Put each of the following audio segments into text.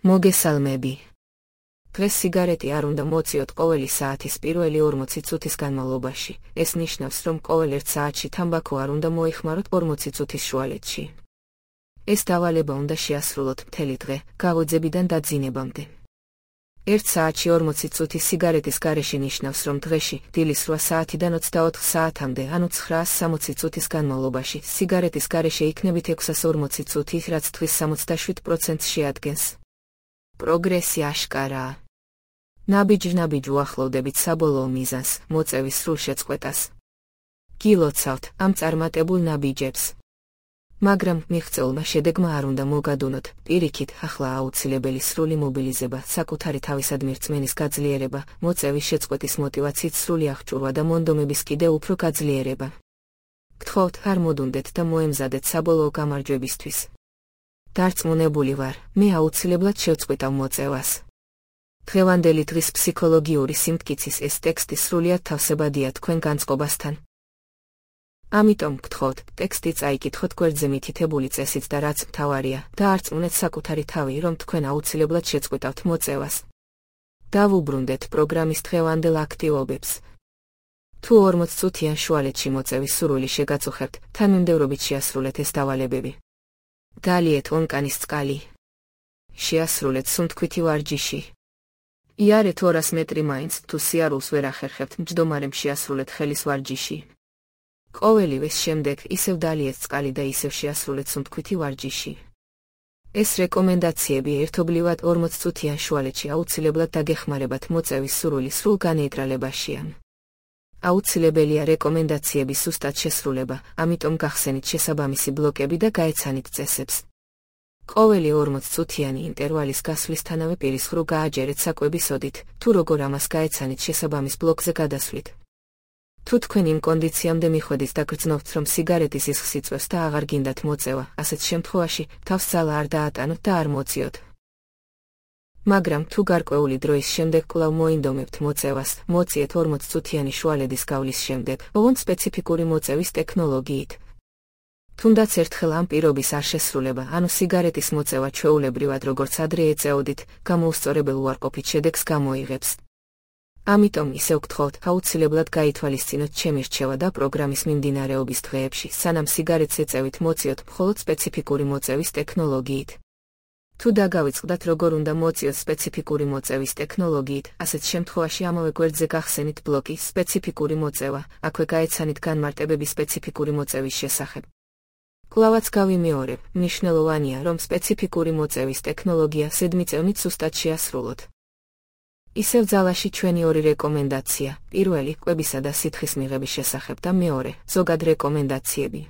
მოგესალმები. დღეს სიგარეტი არ უნდა მოციოთ ყოველი საათის პირველი 40 წუთის განმავლობაში. ეს ნიშნავს, რომ ყოველ 1 საათში თამბაქო არ უნდა მოიხმაროთ 40 წუთის შუალედში. ეს დავალება უნდა შეასრულოთ მთელი დღე, გაღვიძებიდან დაძინებამდე. 1 საათში 40 წუთის სიგარეტის გარეშე ნიშნავს, რომ დღეში, დილის 8 საათიდან 24 საათამდე, ანუ 960 წუთის განმავლობაში, სიგარეტის გარეშე იქნებით 640 წუთი, რაც თვის 67%-ს შეადგენს. პროგრესი აშკარაა. ნაბიჯ-ნაბიჯ უახლოვდებით საბოლოო მიზანს, მოწევის სრულ შეწყვეტას. გილოცავთ ამ წარმატებულ ნაბიჯებს. მაგრამ მიღწეულმა შედეგმა არ უნდა მოგადუნოთ, პირიქით, ახლა აუცილებელი სრული მობილიზება, საკუთარი თავისადმი რწმენის გაძლიერება, მოწევის შეწყვეტის მოტივაციით სრული აღჭურვა და მონდომების კიდევ უფრო გაძლიერება. გთხოვთ, არ მოდუნდეთ და მოემზადეთ საბოლოო გამარჯვებისთვის. დარწმუნებული ვარ, მე აუცილებლად შევწყვიტავ მოწევას. დღევანდელი დღის ფსიქოლოგიური სიმტკიცის ეს ტექსტი სრულიად თავსებადია თქვენ განწყობასთან. ამიტომ გთხოვთ, ტექსტი წაიკითხოთ გვერდზე მითითებული წესით და რაც მთავარია, დაარწმუნეთ საკუთარი თავი, რომ თქვენ აუცილებლად შეწყვიტავთ მოწევას. დავუბრუნდეთ პროგრამის დღევანდელ აქტივობებს. თუ 40 წუთიან შუალედში მოწევის სურვილი შეგაწუხებთ, თანმიმდევრობით შეასრულეთ ეს დავალებები. დალიეთ ონკანის წყალი. შეასრულეთ სუნთქვითი ვარჯიში. იარეთ 200 მეტრი მაინც, თუ სიარულს ვერ ახერხებთ, მჯდომარემ შეასრულეთ ხელის ვარჯიში. ყოველივეს შემდეგ ისევ დალიეთ წყალი და ისევ შეასრულეთ სუნთქვითი ვარჯიში. ეს რეკომენდაციები ერთობლივად 40 წუთიან შუალედში აუცილებლად დაგეხმარებათ მოწევის სურვილი სრულ განეიტრალებაშია. აუცილებელია რეკომენდაციების სუსტად შესრულება, ამიტომ გახსენით შესაბამისი ბლოკები და გაეცანით წესებს. ყოველი 40 წუთიანი ინტერვალის გასვლისთანავე პირის ღრუ გააჯერეთ საკვების ოდით, თუ როგორ ამას გაეცანით შესაბამის ბლოკზე გადასვლით. თუ თქვენ იმ კონდიციამდე მიხვედით და გრძნობთ, რომ სიგარეტის ისხს იწვევს და აღარ გინდათ მოწევა, ასეთ შემთხვევაში თავს ძალა არ დაატანოთ და არ მოწიოთ. მაგრამ თუ გარკვეული დროის შემდეგ კვლავ მოინდომებთ მოწევას, მოწიეთ 40 წუთიანი შუალედის გავლის შემდეგ, ოღონდ სპეციფიკური მოწევის ტექნოლოგიით. თუნდაც ერთხელ ამ პირობის არ შესრულება, ანუ სიგარეტის მოწევა ჩვეულებრივად როგორც ადრე ეწეოდით, გამოუსწორებელ უარყოფით შედეგს გამოიღებს. ამიტომ ისევ გთხოვთ, აუცილებლად გაითვალისწინოთ ჩემი რჩევა და პროგრამის მიმდინარეობის დღეებში, სანამ სიგარეტს ეწევით მოწიოთ მხოლოდ სპეციფიკური მოწევის ტექნოლოგიით. თუ დაგავიწყდათ როგორ უნდა მოწიოთ სპეციფიკური მოწევის ტექნოლოგიით, ასეთ შემთხვევაში ამავე გვერდზე გახსენით ბლოკი სპეციფიკური მოწევა, აქვე გაეცანით განმარტებები სპეციფიკური მოწევის შესახებ. კვლავაც გავიმეორებ, მნიშვნელოვანია, რომ სპეციფიკური მოწევის ტექნოლოგია ზედმიწევნით სუსტად შეასრულოთ. ისევ ძალაში ჩვენი ორი რეკომენდაცია, პირველი, კვებისა და სითხის მიღების შესახებ და მეორე, ზოგად რეკომენდაციები.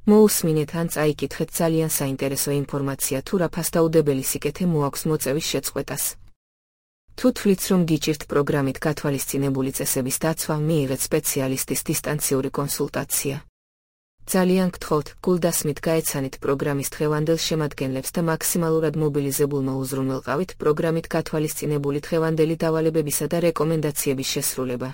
მოусმინეთ ან წაიკითხეთ ძალიან საინტერესო ინფორმაცია თუ რა ფასდაუდებელი სიკეთე მოაქვს მოწევის შეწყვეტას. თუ თვლით, რომ გიჭირთ პროგრამით გათვალისწინებული წესების დაცვა, მიიღეთ სპეციალისტის დისტანციური კონსულტაცია. ძალიან გთხოვთ, გულდასმით გაეცანით პროგრამის დღევანდელ შემადგენლებს და მაქსიმალურად მობილიზებულმა უზრუნველყავით პროგრამით გათვალისწინებული დღევანდელი დავალებებისა და რეკომენდაციების შესრულება.